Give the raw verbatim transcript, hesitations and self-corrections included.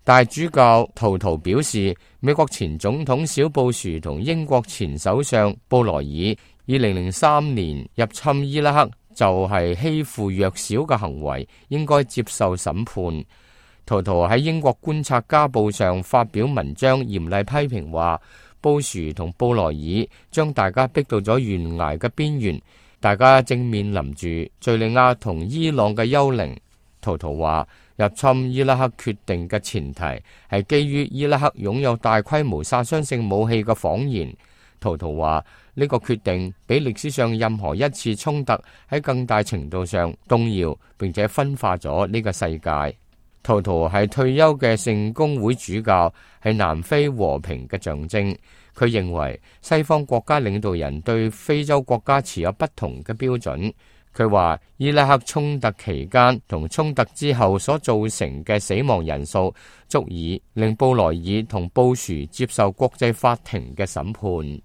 大主教圖圖表示，美國前總統小布殊同英國前首相布萊爾二零零三年入侵伊拉克就係欺負弱小嘅行為，應該接受審判。圖圖喺英國觀察家報上發表文章，嚴厲批評話，布殊同布萊爾將大家逼到咗懸崖嘅邊緣，大家正面臨住敘利亞同伊朗嘅幽靈。圖圖話，入侵伊拉克決定嘅前提係基於伊拉克擁有大規模殺傷性武器嘅謊言。圖圖話，呢個決定比歷史上任何一次衝突喺更大程度上動搖並且分化咗呢個世界。圖圖係退休嘅聖公會主教，係南非和平嘅象徵。佢認為西方國家領導人對非洲國家持有不同嘅標準。佢話伊拉克衝突期間同衝突之後所造成嘅死亡人數足以令布萊爾同布殊接受國際法庭嘅審判。